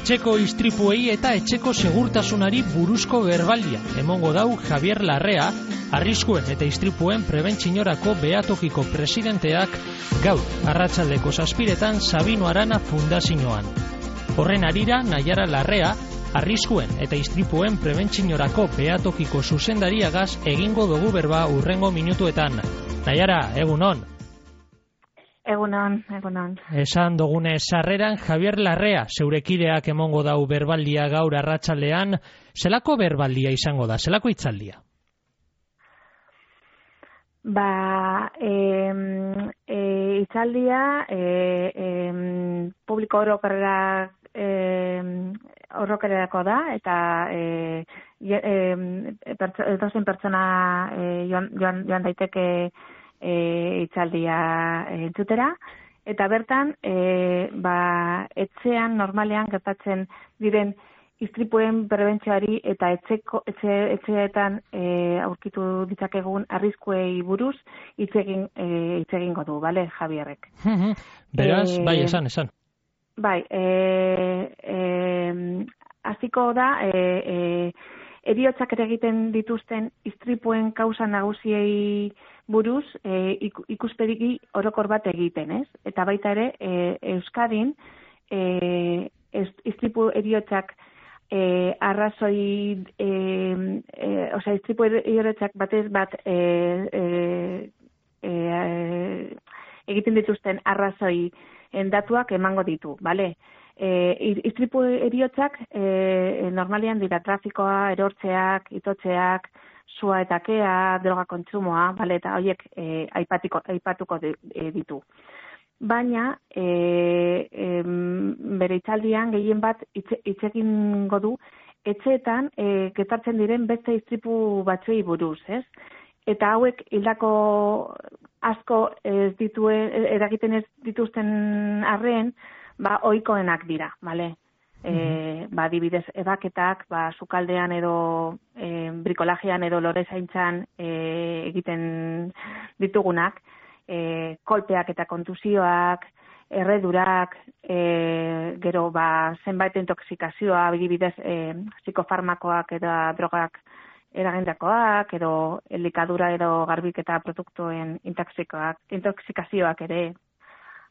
Etxeko istripuei eta etxeko segurtasunari buruzko berbaldia emongo dau Javier Larrea, arriskuen eta istripuen prebentzinorako behatokiko presidenteak gaur arratsaldeko 7:00 Sabino Arana fundazioan. Horren harira Naiara Larrea, arriskuen eta istripuen prebentzinorako behatokiko zuzendariagaz egingo dugu berba hurrengo minutuetan. Naiara, egunon. Egunon. Esan dugune sarreran Javier Larrea, zeurekideak emongo dau berbaldia gaur arratsaldean. Zelako berbaldia izango da, zelako hitzaldia? Hitzaldia publiko orokorrerako da, eta edozein pertsona joan daiteke hitzaldia entzutera, eta bertan etxean normalean gertatzen diren istripuen prebentzioari eta etxeetan aurkitu ditzakegun arriskuei buruz hitz egingo du, bale, Javierrek. Beraz, bai, esan. Bai, hasiko da heriotzak eragiten dituzten istripuen kausa nagusiei buruz ikuspegi orokor bat egiten, ez? Eta baita ere Euskadin istripu heriotzak arrazoi istripu heriotzak batez bat egiten dituzten arrazoi datuak emango ditu, bale? Istripu heriotzak normalean dira trafikoa, erortzeak, itotzeak, sua eta kea, droga kontsumoa, bale, eta horiek aipatuko ditu. Baina, bere hitzaldian gehien bat hitz egingo du etxeetan gertatzen diren beste istripu batzuei buruz, ez? Eta hauek hildako asko eragiten ez dituzten arren, ohikoenak dira, bale? Adibidez, ebaketak, sukaldean edo brikolajean edo lorezaintzan egiten ditugunak, kolpeak eta kontusioak, erredurak, gero zenbait intoxikazioa, adibidez psikofarmakoak eta drogak eragindakoak, edo elikadura edo garbiketa produktuen intoxikazioak ere,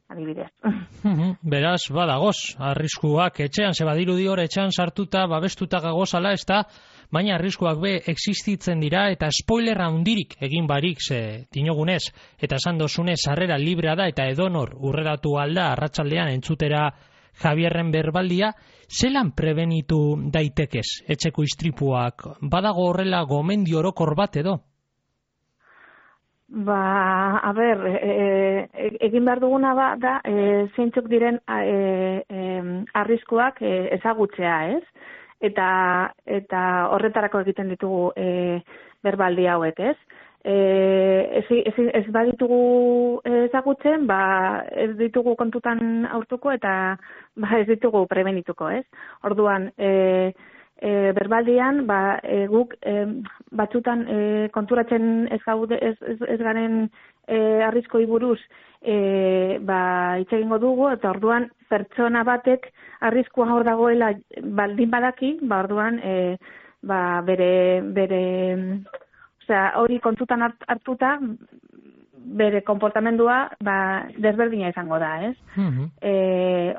adibidez. Beraz, badagoz, arriskuak etxean, badirudi hor etxean sartuta, babestuta gagozala, ez da, baina arriskuak existitzen dira, eta spoiler handirik egin barik, dinogunez, eta esan dozunez, sarrera librea da, eta edonor urreratu alda, arratsaldean entzutera Javierren berbaldia, zelan prebenitu daitekez etxeko istripuak? Badago horrela gomendio orokor bat edo? Egin behar duguna da zeintzuk diren arriskuak ezagutzea, ez? Eta horretarako egiten ditugu berbaldi hauek, ez? Ez baditugu ezagutzen, ez ditugu kontutan hartuko eta ez ditugu prebenituko, ez? Orduan, berbaldian, guk batzutan konturatzen ez garen arriskoi buruz hitz egingo dugu, eta orduan pertsona batek arriskua hor dagoela baldin badaki, orduan hori kontutan hartuta bere konportamendua desberdina izango da, ez?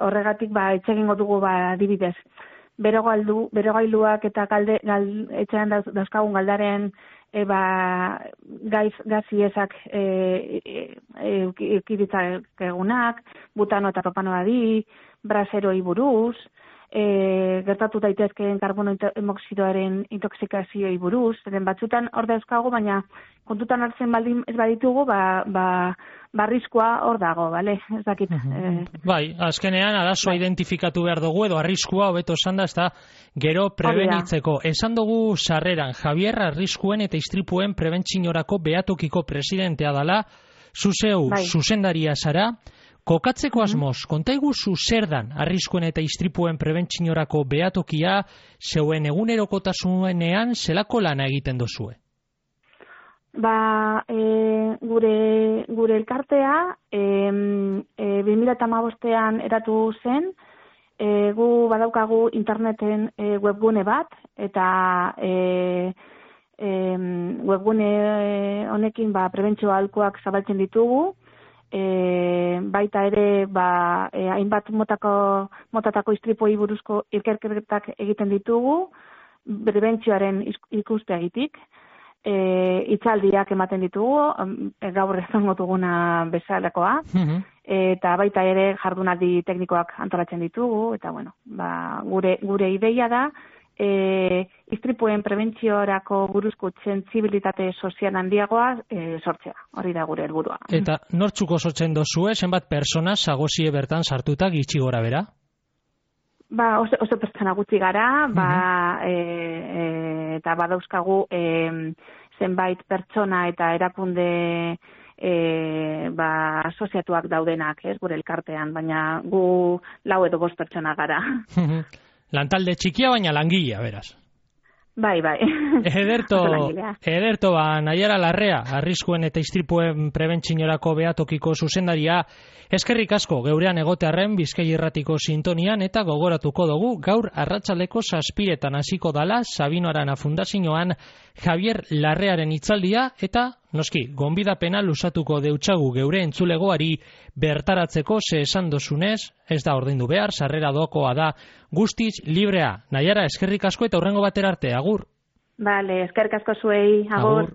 Horregatik hitz egingo dugu adibidez. Berogailuak eta etxean dauzkagun galdaren gaziezak eukiditzakegunak, butano eta propanoari, braseroi buruz, gertatu daitezkeen karbono emoksidoaren intoxikazioi buruz, batzutan hor dauzkagu, baina kontutan hartzen baldin ez baditugu, arriskua hor dago, bale? Ez dakit. Bai, azkenean arazoa identifikatu behar dugu, edo arriskua hobeto esan da, ez da, gero prebenitzeko. Esan dugu sarreran, Javier arriskuen eta istripuen prebentzinorako behatokiko presidentea dela, zuzeu zuzendaria zara, kokatzeko asmoz, kontaigu zer dan arriskuen eta istripuen prebentzinorako behatokia, zeuen egunerokotasunean zelako lana egiten dozue? Gure elkartea 2015an eratu zen, gu badaukagu interneten webgune bat, eta webgune honekin prebentzio aholkuak zabaltzen ditugu, baita ere hainbat motatako istripuei buruzko ikerketak egiten ditugu, prebentzioaren ikuspegitik, hitzaldiak ematen ditugu, gaur izango duguna bezalakoa, eta baita ere jardunaldi teknikoak antolatzen ditugu, eta gure ideia da, istripuen prebentziorako buruzko sentsibilitate sozial handiagoa sortzea. Hori da gure helburua. Eta nortzuko sortzen dozue, zenbat persona zagozie bertan sartutak gitxi gora bera? Oso pertsona gutxi gara, eta badauzkagu zenbait pertsona eta erakunde asoziatuak daudenak, gure elkartean, baina gu 4 edo 5 pertsona gara. Lantalde txikia, baina langilea, beraz. Bai. Ederto, Naiara Larrea, arriskuen eta istripuen prebentzinorako behatokiko zuzendaria, eskerrik asko geurean egotearren Bizkai Irratiko sintonian, eta gogoratuko dugu gaur arratsaldeko 7:00 hasiko dala Sabino Arana Fundazioan Javier Larrearen hitzaldia, eta noski, gonbidapena luzatuko deutsagu geure entzulegoari bertaratzeko, ze esan dozunez, ez da ordaindu behar, sarrera doakoa da guztiz librea. Naiara, eskerrik asko eta hurrengo batera arte, agur. Bale, eskerrik asko zuei, agur.